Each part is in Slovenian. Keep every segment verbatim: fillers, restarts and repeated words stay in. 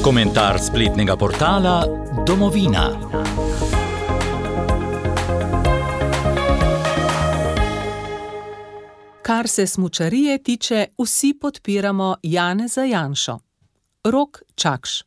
Komentar spletnega portala Domovina. Kar se smučarije tiče, vsi podpiramo Janeza Janšo. Rok Čakš.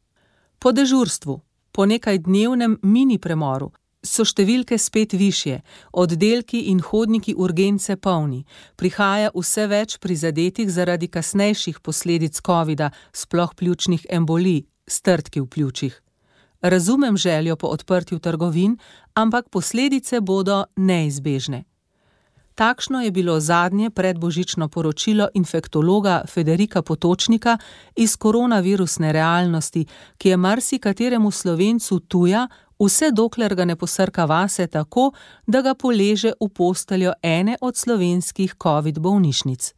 Po dežurstvu, po nekajdnevnem mini premoru, so številke spet višje, oddelki in hodniki urgence polni, prihaja vse več prizadetih zaradi kasnejših posledic covida, sploh pljučnih embolij, strdki v pljučih. Razumem željo po odprtju trgovin, ampak posledice bodo neizbežne. Takšno je bilo zadnje predbožično poročilo infektologa Federika Potočnika iz koronavirusne realnosti, ki je marsikateremu Slovencu tuja, vse dokler ga ne posrka vase tako, da ga poleže v posteljo ene od slovenskih covid bolnišnic.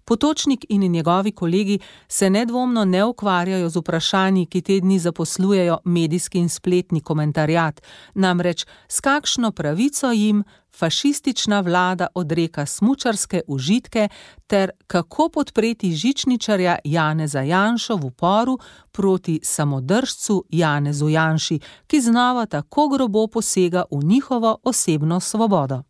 Potočnik in njegovi kolegi se nedvomno ne ukvarjajo z vprašanji, ki te dni zaposlujejo medijski in spletni komentarjat, namreč s kakšno pravico jim fašistična vlada odreka smučarske užitke ter kako podpreti žičničarja Janeza Janšo v uporu proti samodržcu Janezu Janši, ki znova tako grobo posega v njihovo osebno svobodo.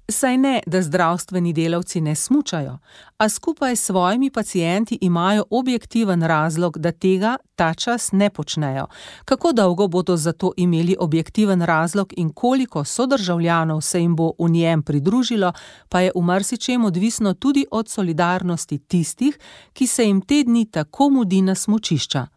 Saj ne, da zdravstveni delavci ne smučajo, a skupaj s svojimi pacienti imajo objektiven razlog, da tega ta čas ne počnejo. Kako dolgo bodo za to imeli objektiven razlog in koliko sodržavljanov se jim bo v njem pridružilo, pa je v marsičem odvisno tudi od solidarnosti tistih, ki se jim te dni tako mudi na smučišča.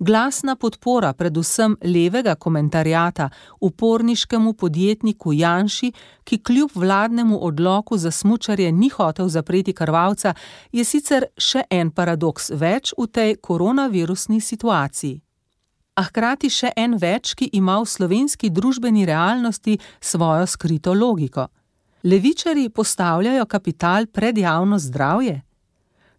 Glasna podpora predvsem levega komentarjata uporniškemu podjetniku Janši, ki kljub vladnemu odloku za smučarje ni hotel zapreti krvavca, je sicer še en paradoks več v tej koronavirusni situaciji. A hkrati še en več, ki ima v slovenski družbeni realnosti svojo skrito logiko. Levičarji postavljajo kapital pred javno zdravje?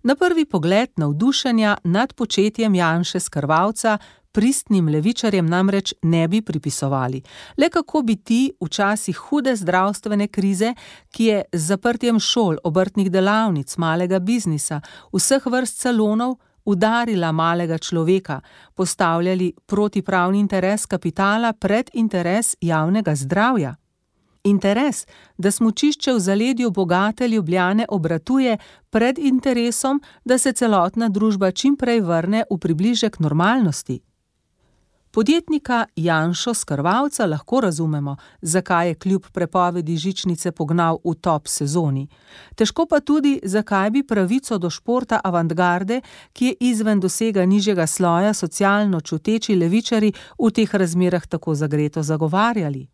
Na prvi pogled navdušenja nad početjem Janše Skrvavca pristnim levičarjem namreč ne bi pripisovali. Le kako bi ti v časih hude zdravstvene krize, ki je z zaprtjem šol, obrtnih delavnic, malega biznisa, vseh vrst salonov, udarila malega človeka, postavljali protipravni interes kapitala pred interes javnega zdravja. Interes, da smučišče v zaledju bogate Ljubljane obratuje pred interesom, da se celotna družba čim prej vrne v približek normalnosti. Podjetnika Janšo Skrvavca lahko razumemo, zakaj je kljub prepovedi žičnice pognal v top sezoni. Težko pa tudi, zakaj bi pravico do športa avantgarde, ki je izven dosega nižjega sloja socialno čuteči levičari, v teh razmerah tako zagreto zagovarjali.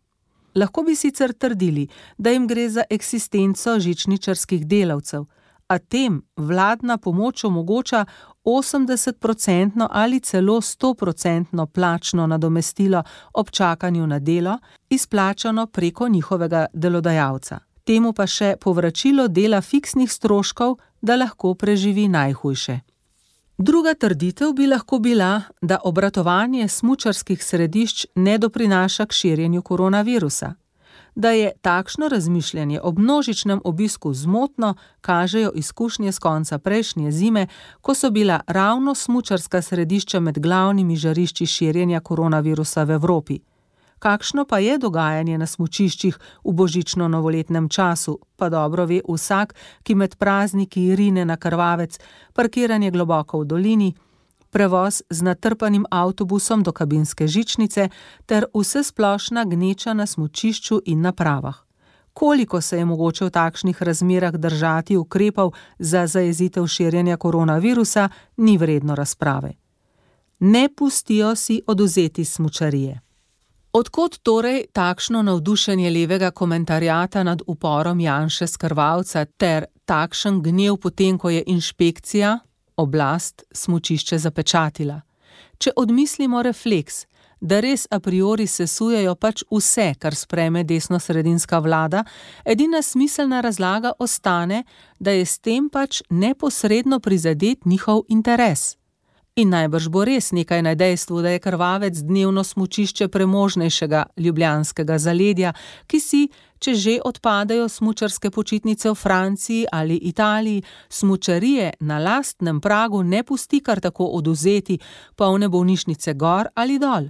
Lahko bi sicer trdili, da jim gre za eksistenco žičničarskih delavcev, a tem vladna pomoč omogoča osemdesetprocentno ali celo stoprocentno plačno nadomestilo ob čakanju na delo, izplačano preko njihovega delodajalca. Temu pa še povračilo dela fiksnih stroškov, da lahko preživi najhujše. Druga trditev bi lahko bila, da obratovanje smučarskih središč ne doprinaša k širjenju koronavirusa. Da je takšno razmišljanje ob množičnem obisku zmotno, kažejo izkušnje s konca prejšnje zime, ko so bila ravno smučarska središča med glavnimi žarišči širjenja koronavirusa v Evropi. Kakšno pa je dogajanje na smučiščih v božično-novoletnem času, pa dobro ve vsak, ki med prazniki rine na krvavec, parkiranje globoko v dolini, prevoz z natrpanim avtobusom do kabinske žičnice ter vsesplošna gneča na smučišču in napravah. Koliko se je mogoče v takšnih razmerah držati ukrepov za zajezitev širjenja koronavirusa, ni vredno razprave. Ne pustijo si odvzeti smučarije. Odkot torej takšno navdušenje levega komentarjata nad uporom Janše Skrvavca ter takšen gnev potem, ko je inšpekcija, oblast, smučišče zapečatila? Če odmislimo refleks, da res a priori sesujejo pač vse, kar sprejme desnosredinska vlada, edina smiselna razlaga ostane, da je s tem pač neposredno prizadet njihov interes. In najbrž bo res nekaj na dejstvu, da je Krvavec dnevno smučišče premožnejšega ljubljanskega zaledja, ki si, če že odpadajo smučarske počitnice v Franciji ali Italiji, smučarije na lastnem pragu ne pusti kar tako odvzeti, polne bolnišnice gor ali dol.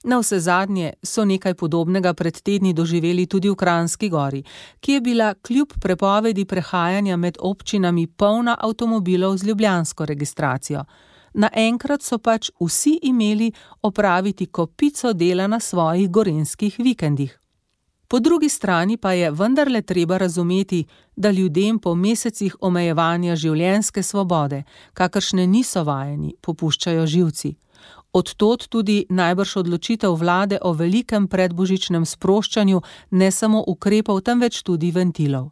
Navsezadnje so nekaj podobnega pred tedni doživeli tudi v Kranjski Gori, ki je bila kljub prepovedi prehajanja med občinami polna avtomobilov z ljubljansko registracijo. Naenkrat so pač vsi imeli opraviti kopico dela na svojih gorenjskih vikendih. Po drugi strani pa je vendarle treba razumeti, da ljudem po mesecih omejevanja življenjske svobode, kakršne niso vajeni, popuščajo živci. Od tod tudi najbrž odločitev vlade o velikem predbožičnem sproščanju ne samo ukrepov, temveč tudi ventilov.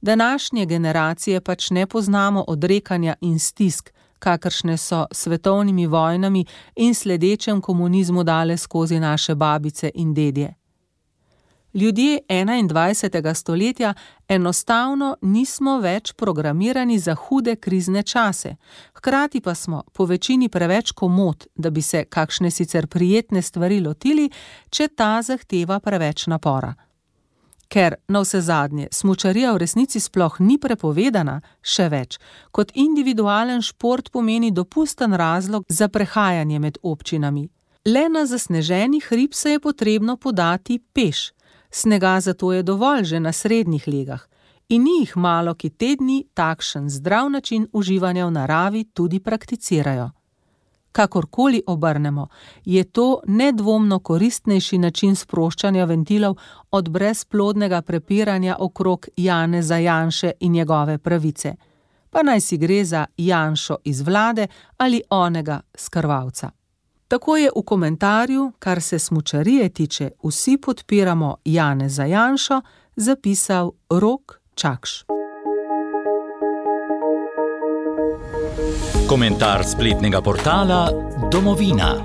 Današnje generacije pač ne poznamo odrekanja in stisk, kakršne so svetovnimi vojnami in sledečem komunizmu dale skozi naše babice in dedje. Ljudje enaindvajsetega stoletja enostavno nismo več programirani za hude krizne čase, hkrati pa smo po večini preveč komot, da bi se kakšne sicer prijetne stvari lotili, če ta zahteva preveč napora. Ker navsezadnje smučarija v resnici sploh ni prepovedana, še več, kot individualen šport pomeni dopusten razlog za prehajanje med občinami. Le na zasneženi hrib se je potrebno podati peš. Snega zato je dovolj že na srednjih legah in ni jih malo, ki te dni takšen zdrav način uživanja v naravi tudi prakticirajo. Kakorkoli obrnemo, je to nedvomno koristnejši način sproščanja ventilov od brezplodnega prepiranja okrog Janeza Janše in njegove pravice. Pa naj si gre za Janšo iz vlade ali onega s Krvavca. Tako je v komentarju, kar se smučarije tiče, vsi podpiramo Janeza Janšo, zapisal Rok Čakš. Komentar spletnega portala Domovina.